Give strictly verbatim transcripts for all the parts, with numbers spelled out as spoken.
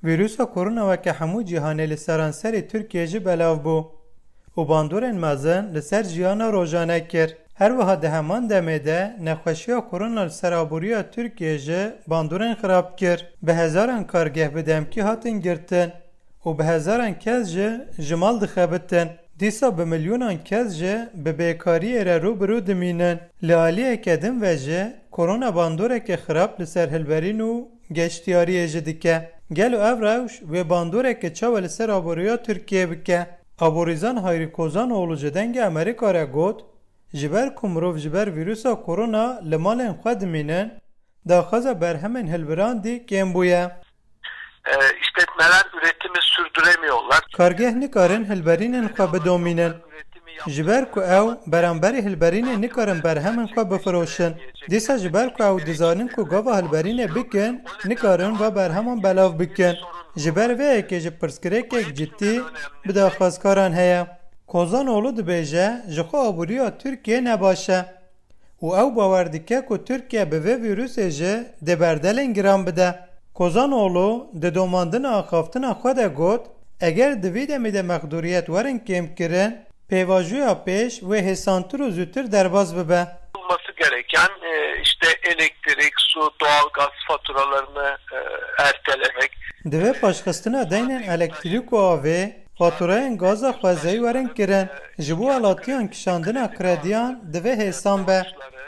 Vîrusa korona weke hemû cîhanê li seranserê Tirkiyê jî belav bû û bandorên mezin li ser jiyana rojane kir. Her wiha di heman demê de nexweşiya korona li ser aboriya Tirkiyê jî bandorên xirab kir. Bi hezaran kargeh bi demkî hatin girtin û bi hezaran kes jî ji mal dixebitin. Dîsa bi milyonan kes jî bi bêkariyê re rû bi rû dimînin. Li aliyeke din ve jî korona bandoreke xirab li ser hilberîn û geştiyariyê jî dike. Gelo ev rewş wê bandoreke çawa li ser aboriya Tirkiyê bike? Aborîzan Hayrî Kozanoğlu ji Dengê Amerîka re got, ji ber ku mirov ji ber vîrusa korona li malên xwe dimînin, daxwaza berhemên hilbirandî kêm bûye. E, işletmeler üretimi sürdüremiyorlar. Kargeh nikarin hilberînên xwe bidomînin. Ji ber ku ew beramberî hilberînê nikarin berhemên xwe bifiroşin. Dîsa ji ber ku ew dizanin ku gava hilberînê bikin, nikarin va berheman belav bikin. Ji ber vê yekê jî pirsgirêkek cidî bi daxwazkaran heye. Kozanoğlu dibêje, ji xwe aboriya Tirkiyê ne baş e. Û ew bawer dike ku Tirkiye bi vê vîrusê jî dê berdelên giran bide. Kozanoğlu di domandina axaftina xwe de got, eger di vî demî de mexdûriyet werin kêmkirin, pêvajoya pêş wê hêsantir û zûtir derbas bibe. Olması gereken, e, işte elektrik, su, doğalgaz faturalarını, e, ertelemek. Divê paşxistina deynên elektrîk û avê, faturayên gaza xwezayî werin kirin. Ji bo welatiyan kişandina krediyan divê hêsan be.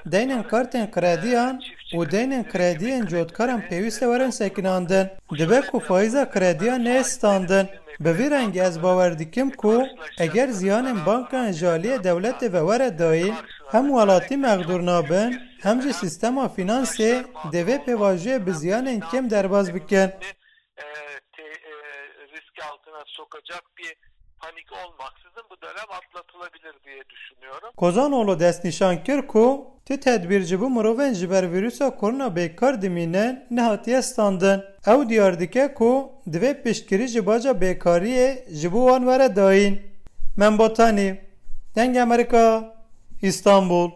Deynên kartên krediyan û deynên krediyên cotkaran pêwîst e werin sekinandin. Dibe ku faiza krediyan neyê standin. Bi vî rengî ez bawer dikim ku eger ziyanên bankan ji aliyê dewletê ve were dayîn, hem welatî mexdûr nabin, hem jî sîstema fînansê dê vê pêvajoyê bi ziyanên kêm derbas bikin. E, te-, e, riski altına sokacak bir panik olmaksızın bu dönem atlatılabilir diye düşünüyorum. Kozanoğlu destnîşan kir ku tu tedbîr ji bo mirovên ji ber vîrusa korona bêkar dimînin nehatiye standin. Ew diyar dike ku divê piştgirî ji baca bêkariyê ji bo wan were dayîn. Membotanî, Dengê Amerîka, Îstanbul.